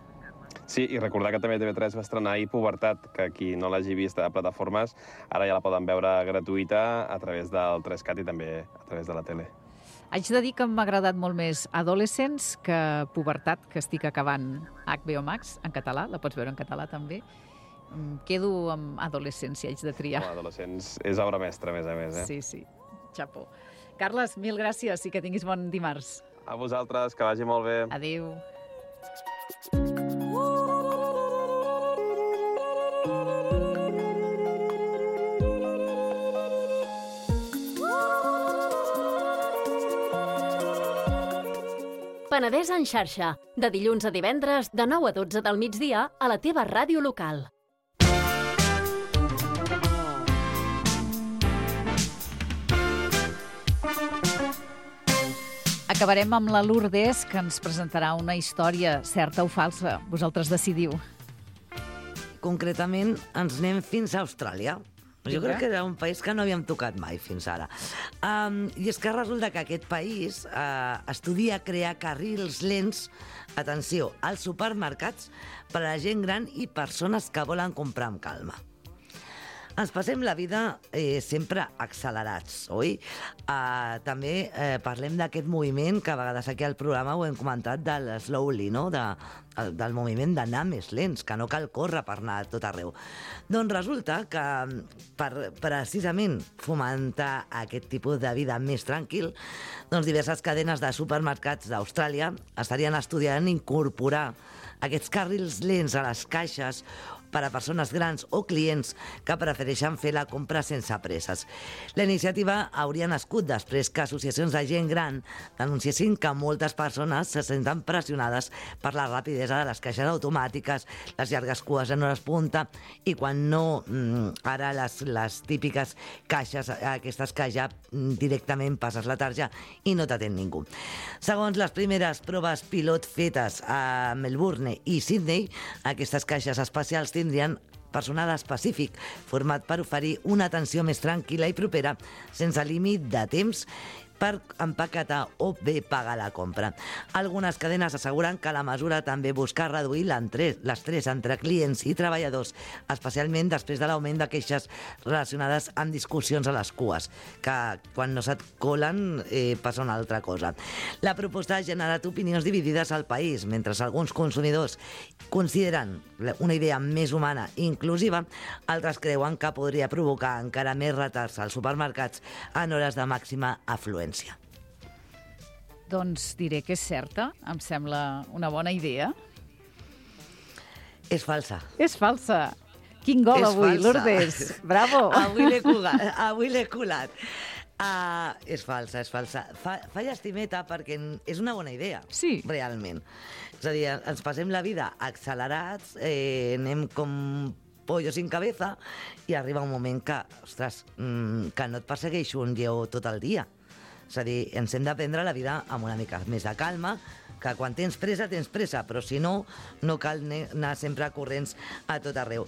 Sí, i recordar que també T V tres va estrenar ahir Pubertat, que qui no l'hagi vist a plataformes, ara ja la poden veure gratuïta a través del tres cat i també a través de la tele. Haig de dir que m'ha agradat molt més Adolescents que Pubertat, que estic acabant a H B O Max, en català, la pots veure en català també. Em quedo amb Adolescents, si haig de triar. Com Adolescents és obra mestra, a més a més, eh? Sí, sí, xapó. Carles, mil gràcies i que tinguis bon dimarts. A vosaltres, que vagi molt bé. Adéu. Penedès en xarxa, de dilluns a divendres, de nou a dotze del migdia, a la teva ràdio local. Acabarem amb la Lourdes, que ens presentarà una història certa o falsa. Vosaltres decidiu. Concretament, ens anem fins a Austràlia. Jo Vinga. crec que era un país que no havíem tocat mai fins ara. Um, I és que resulta que aquest país uh, estudia crear carrils lents, atenció, als supermercats per a la gent gran i persones que volen comprar amb calma. Ens passem la vida eh, sempre accelerats, oi? Uh, també eh, parlem d'aquest moviment que a vegades aquí al programa ho hem comentat del slowly, no? De, del moviment d'anar més lents, que no cal córrer per anar a tot arreu. Doncs resulta que per precisament fomentar aquest tipus de vida més tranquil, doncs diverses cadenes de supermercats d'Austràlia estarien estudiant incorporar aquests carrils lents a les caixes per a persones grans o clients que prefereixen fer la compra sense presses. La iniciativa hauria nascut després que associacions de gent gran denunciessin que moltes persones se senten pressionades per la rapidesa de les caixes automàtiques, les llargues cues en hores punta, i quan no, ara les, les típiques caixes, aquestes que ja directament passes la tarja i no t'atén ningú. Segons les primeres proves pilot fetes a Melbourne i Sydney, aquestes caixes especials tindrien personal específic format per oferir una atenció més tranquil·la i propera, sense límit de temps, per empaquetar o bé pagar la compra. Algunes cadenes asseguren que la mesura també busca reduir l'estrès entre clients i treballadors, especialment després de l'augment de queixes relacionades amb discussions a les cues, que quan no se't colen eh, passa una altra cosa. La proposta ha generat opinions dividides al país, mentre alguns consumidors consideren una idea més humana i inclusiva, altres creuen que podria provocar encara més retards als supermercats en hores de màxima afluència. Doncs diré que és certa, em sembla una bona idea. És falsa. És falsa. Quin gol és avui, falsa. Lourdes. Bravo. Avui l'he colat. Avui l'he colat. Uh, és falsa, és falsa. Fa, fa llastimeta perquè és una bona idea, sí. Realment. És a dir, ens passem la vida accelerats, eh, anem com pollo sin cabeza, i arriba un moment que, ostres, que no et persegueix un lleó tot el dia. És a dir, ens hem de prendre la vida amb una mica més de calma, que quan tens pressa, tens pressa, però si no, no cal anar sempre corrents a tot arreu.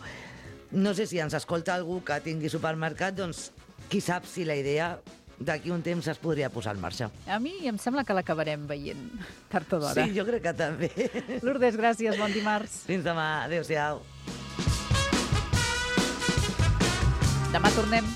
No sé si ens escolta algú que tingui supermercat, doncs qui sap si la idea d'aquí un temps es podria posar en marxa. A mi em sembla que l'acabarem veient tard o d'hora. Sí, jo crec que també. Lourdes, gràcies, bon dimarts. Fins demà, adéu-siau. Demà tornem.